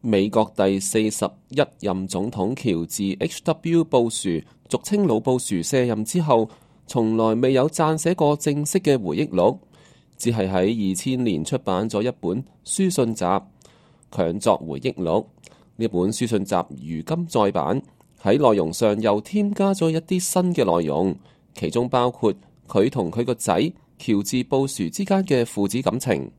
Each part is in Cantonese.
美國第41任總統喬治 H.W. 布殊，俗稱老布殊卸任之後，從來未有撰寫過正式嘅回憶錄，只係喺2000年出版咗一本書信集《強作回憶錄》。呢本書信集如今再版，喺內容上又添加咗一啲新嘅內容，其中包括佢同佢個仔喬治布殊之間嘅父子感情。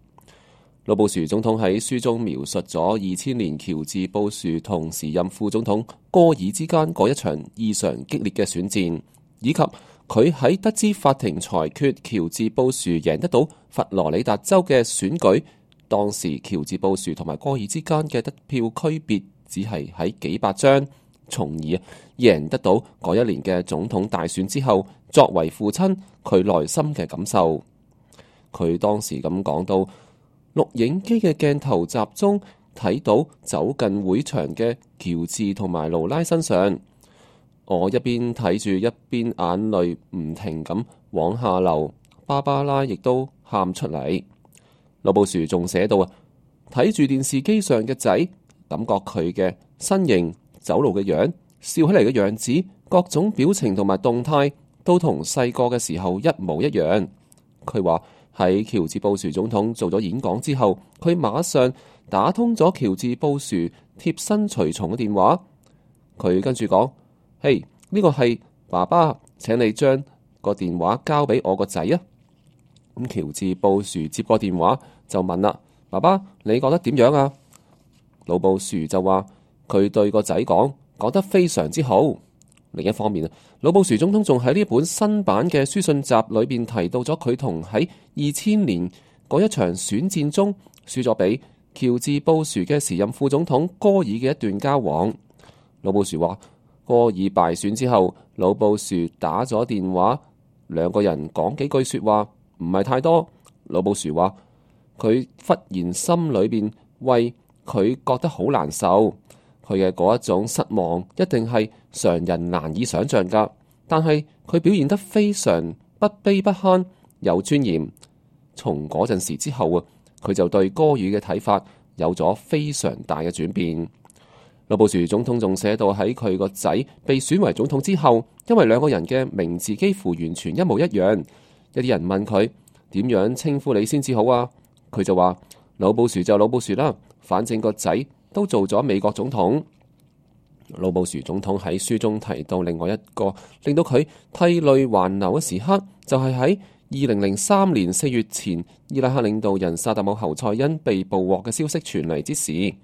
老布殊總統喺書中描述咗2000年喬治布殊同時任副總統戈爾之間嗰一場異常激烈嘅選戰，以及佢喺得知法庭裁決喬治布殊贏得到佛羅里達州嘅選舉，當時喬治布殊同埋戈爾之間嘅得票區別只係喺幾百張，從而贏得到嗰一年嘅總統大選之後，作為父親佢內心嘅感受。佢當時咁講到，錄影機嘅鏡頭集中睇到走近會場嘅喬治同埋勞拉身上，我一邊睇住一邊眼淚唔停咁往下流，芭芭拉亦都喊出嚟。老布殊仲寫到啊，睇住電視機上嘅仔，感覺佢嘅身形、走路嘅樣、笑起嚟嘅樣子，各種表情同埋動態都同細個嘅時候一模一樣。佢話喺喬治布殊總統做咗演講之後，佢馬上打通咗喬治布殊貼身隨從嘅電話。佢跟住講：嘿，呢個係爸爸，請你將個電話交俾我個仔啊！咁喬治布殊接過電話就問啦：爸爸，你覺得點樣啊？老布殊就話佢對個仔講得非常之好。另一方面啊，老布殊總統仲喺呢本新版嘅書信集裏邊提到咗佢同喺2000年嗰一場選戰中輸咗俾喬治布殊嘅時任副總統戈爾嘅一段交往。老布殊話，戈爾敗選之後，老布殊打咗電話，兩個人講幾句說話，唔係太多。老布殊話佢忽然心裏邊為佢覺得好難受，佢嘅嗰一種失望一定係常人難以想象噶。但係佢表現得非常不卑不亢，有尊嚴。從嗰陣時之後啊，佢就對戈爾嘅睇法有咗非常大嘅轉變。老布殊總統仲寫到喺佢個仔被選為總統之後，因為兩個人嘅名字幾乎完全一模一樣，有啲人問佢點樣稱呼你先至好啊？佢就話老布殊就老布殊啦，反正個仔都做咗美國總統。老布殊總統喺書中提到另外一個令到佢涕淚橫流嘅時刻，就係喺2003年4月前，伊拉克領導人薩達姆侯賽因被捕獲嘅消息傳嚟之時。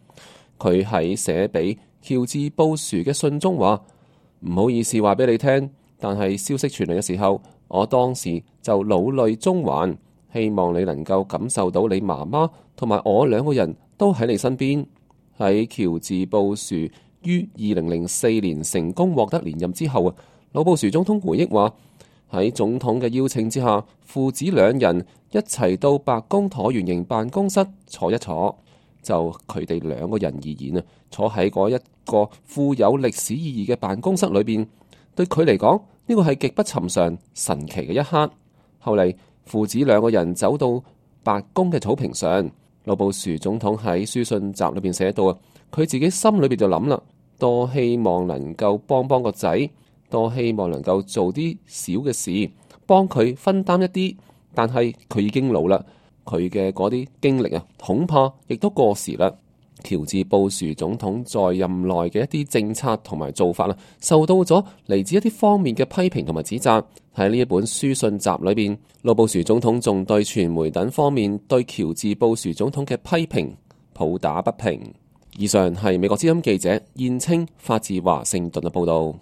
佢喺寫俾喬治布殊嘅信中話：唔好意思話俾你聽，但係消息傳嚟嘅時候，我當時就老淚縱橫，希望你能夠感受到你媽媽同埋我兩個人都喺你身邊。喺喬治布殊於2004年成功獲得連任之後啊，老布殊總統回憶話：喺總統嘅邀請之下，父子兩人一齊到白宮橢圓形辦公室坐一坐。就佢哋兩個人而言啊，坐喺嗰一個富有歷史意義嘅辦公室裏邊，對佢嚟講呢個係極不尋常、神奇嘅一刻。後嚟父子兩個人走到白宮嘅草坪上，老布殊總統喺書信集裏邊寫到啊，佢自己心裏邊就諗啦，多希望能夠幫個仔，多希望能夠做啲小嘅事，幫佢分擔一啲，但係佢已經老啦。佢嘅嗰啲經歷啊，恐怕亦都過時啦。喬治布殊總統在任內嘅一啲政策同埋做法啊，受到咗嚟自一啲方面嘅批評同埋指責。喺呢一本書信集裏邊，老布殊總統仲對傳媒等方面對喬治布殊總統嘅批評抱打不平。以上係美國之音記者燕青發自華盛頓嘅報道。